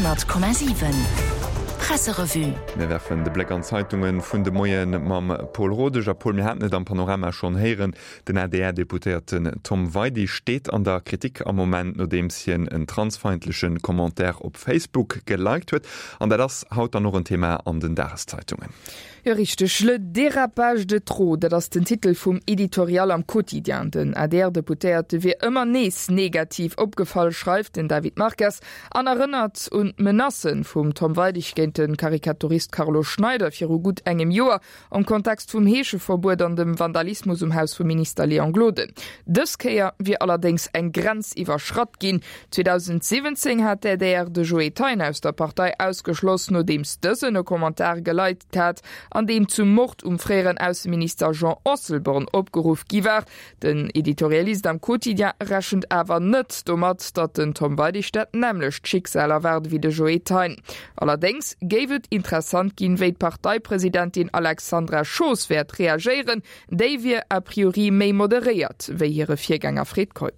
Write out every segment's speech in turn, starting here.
100,7 Presserevue. Mir werfen de Bléck an d'Zeitunge vun de Moie mam Paul Rodesch. A Paul, mir haten et am Panorama schonn héieren, Den ADR-Deputéierten Tom Weidig steet an der Kritik am Moment, nodeems hien en transfeindleche Commentaire op Facebook geliked huet. An dat ass haut dann och en Thema an den Dageszeitungen. Jo richteg, Le dérapage de trop, dat ass den Titel vum Editorial am Quotidien. Den ADR-Deputéierte wier ëmmer nees negativ opgefall, schreift den David Marques an erënnert un d'Menacë vum Tom Weidig géint de Karikaturist Carlo Schneider viru gutt engem Joer. Am Kontext vum Heescheverbuet an dem Vandalismus um Haus vum Minister Léon Gloden. Dës Kéier wier allerdéngs eng Grenz iwwerschratt ginn. 2017 hat d'ADR de Joe Thein aus der Partei ausgeschloss, nodeems dësen e Commentar geliked hat, an deem zum Mord um fréieren Ausseminister Jean Asselborn opgeruff gi war. Den Editorialist am Quotidien rechent awer net domat, datt den Tom Weidig dat nämmlecht Schicksal erwaart ewéi de Joe Thein. Allerdéngs géif et interessant ginn, wéi d'Parteipresidentin Alexandra Schoos wäert reagéieren. Déi wier a priori méi moderéiert wéi hire Virgänger Fred Keup.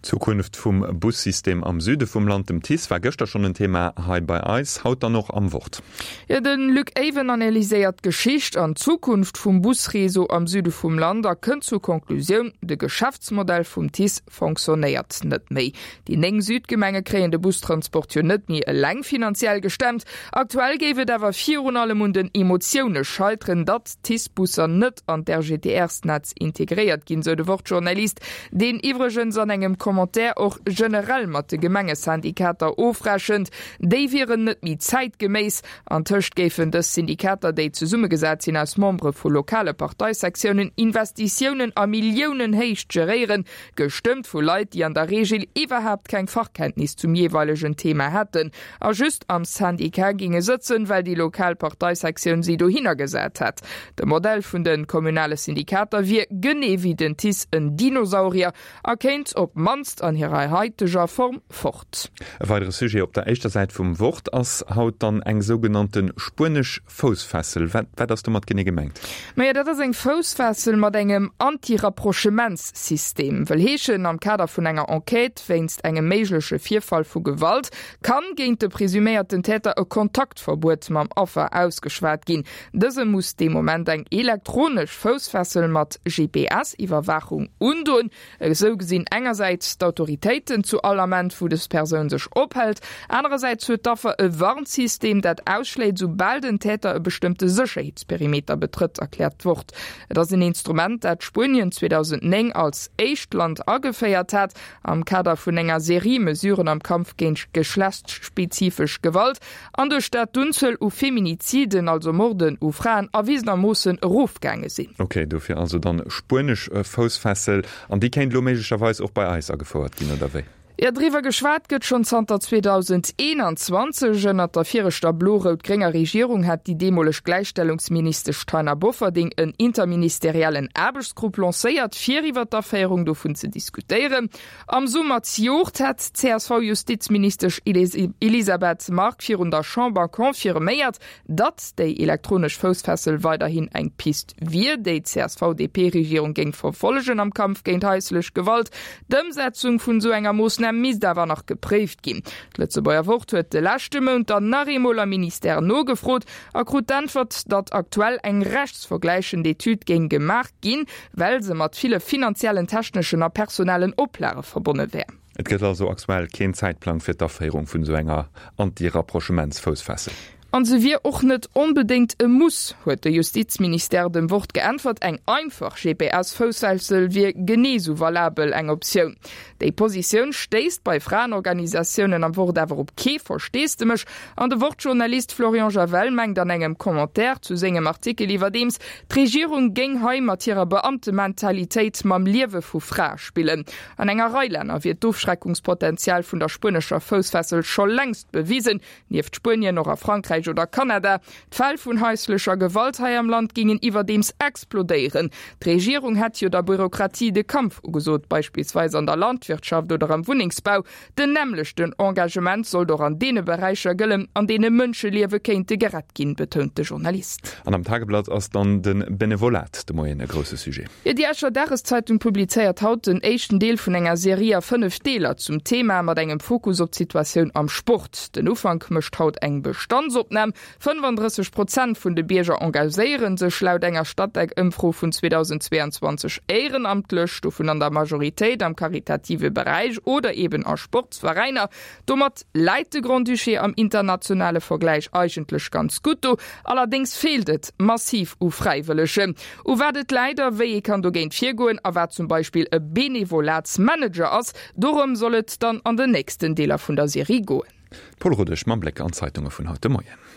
D'Zukunft vum Bussystem am Süde vum Land, dem TICE, war gëschter schonn en Thema hei bei eis, haut dann och am Wort. Jo, de Luc Aven analyséiert d'Geschicht an d'Zukunft vum Busreseau am Süde vum Land a kënnt zur Conclusioun, de Geschäftsmodell vum TICE fonctionnéiert net méi. Déi 9 Südgemenge kréien de Bustransport jo net méi eleng finanziell gestemmt. Aktuell géif et awer virun allem un den Emotioune scheiteren, datt d'TICE-Busser net an d'RGTR-Snetz integréiert ginn, sou de Wort-Journalist, deen iwwregens an engem Commentaire och generell mat de Gemengesyndikater ofrechent. Déi wieren net méi zäitgeméiss. Antëscht géifen dës Syndikater, déi zesummegesat sinn aus Membere vu lokale Parteisektiounen, Investitiounen a Milliounenhéicht geréieren, gestëmmt vu Leit, déi an der Reegel iwwerhaapt keng Fachkenntnis zum jeeweilegen Thema hätten a just am Syndicat géinge sëtzen, well déi lokal Parteisektioun si dohinner gesat hätt. De Modell vun de kommunale Syndikater wier, genee wéi den TICE, en Dinosaurier a kéint op d'mannst an hirer haiteger Form fort. E weidere Sujet op der éischter Säit vum Wort ass haut dann eng sougenannte spuenesch Foussfessel. Wat wat ass domat genee gemengt? Majo, dat ass eng Foussfessel mat engem Anti-Rapprochementssystem. Wëll heeschen, am Kader vun enger Enquête wéinst engem méigleche Virfall vu Gewalt kann géint de presuméierten Täter e Kontaktverbuet mam Affer ausgeschwat ginn. Dëse muss dee Moment eng elektronesch Foussfessel mat GPS-Iwwerwaachung undoen. Esou gesinn engersäits d'Autoritéiten zu all Ament, wou dës Persoun sech ophält. Anerersäits huet d'Affer e Warnsystem, dat ausschléit, soubal den Täter e bestëmmte Sécherheetsperimeter betrëtt, erkläert d'Wort. Et ass en Instrument, dat Spuenien 2009 als éischt Land ageféiert hat, am Kader vun enger Serie Mesuren am Kampf géint geschlechtsspezifesch Gewalt. An duerch dat d'Unzuel u Feminiziden, also Morden u Fraen, erwisenermoossen erofgaange sinn. Ok, dofir also dann spuenesch Foussfessel. An déi kéint elo méiglecherweis och bei eis agefouert ginn, oder wéi? Jo, driwwer geschwat gëtt schonn zanter 2021. Ënnert der viregter blo-rout-grénger Regierung hat déi deemoleg Gläichstellungsministesch Taina Bofferding en interministeriellen Aarbechtsgrupp lancéiert, fir iwwer d'Aféierung dovun ze diskutéieren. Am Summer zejoert hat d'CSV-Justizministesch Elisabeth Margue virun der Chamber confirméiert, datt déi elektronesch Foussfessel weiderhin eng Pist wier, déi d'CSV-DP-Regierung géing verfollegen am Kampf géint haislech Gewalt. D'Ëmsetzung vun esou enger Moossnam misst awer nach gepréift ginn. D'Lëtzebuerger Wort huet de leschte Mount dann nach eemol am Ministère nogefrot a krut d'Äntwert, datt aktuell eng rechtsvergläichend Etüd géing gemaach ginn, well se mat ville finanziellen, techneschen a personellen Oplage verbonne wär. Et gëtt also aktuell keen Zäitplang fir d'Aféierung vun esou enger Anti-Rapprochementsfoussfessel. An se wier och net onbedéngt e Muss, huet de Justizministère dem Wort geäntwert. Eng einfach GPS-Foussfessel wier genee sou valabel eng Optioun. Déi Positioun stéisst bei Fraenorganisatiounen am Wort awer op kee Versteesdemech an de Wort-Journalist Florian Javel mengt an engem Commentaire zu sengem Artikel iwwerdeems, D'Regierung géing hei mat hirer Beamtementalitéit mam Liewe vu Frae spillen. An enger Rei Länner wier d'Ofschreckungspotenzial vun der spuenescher Foussfessel scho längst bewisen, nieft Spuenien och a Frankräich. Éisträich oder Kanada. D'Fäll vun haislecher Gewalt hei am Land gingen iwwerdeems explodéieren. D'Regierung hätt jo der Bürokratie de Kampf ugesot, beispillsweis an der Landwirtschaft oder am Wunnengsbau. Den nämmlechten Engagement sollt och an deene Beräicher gëllen, an deene Mënscheliewe kéinte gerett ginn, betount de Journalist. An am Tageblatt ass dann de Benevolat de Moien e grousse Sujet. Jo, déi Escher Dageszeitung publizéiert haut den éischten Deel vun enger Serie a 5 Deeler zum Thema, mat engem Fokus op d'Situatioun am Sport. Den Ufank mécht haut eng Bestandsopnam. 35 Prozent vun de Bierger engagéiere sech laut enger Statec-Ëmfro vun 2022 éierenamtlech, dovun an der Majoritéit am karitative Beräich oder eben a Sportsveräiner. Domat läit de Grand-Duché am internationale Vergläich eigentlech ganz gutt do. Allerdéngs feelt et massiv u Fräiwëllegen. U wat et läit a wéi ee kann dogéint virgoen a wat zum Beispill e Benevolatsmanager ass, dorëm soll et dann an den nächsten Deeler vun der Serie goen. Paul Rodesch mam Bléck an d'Zeitunge vun haut de Moien.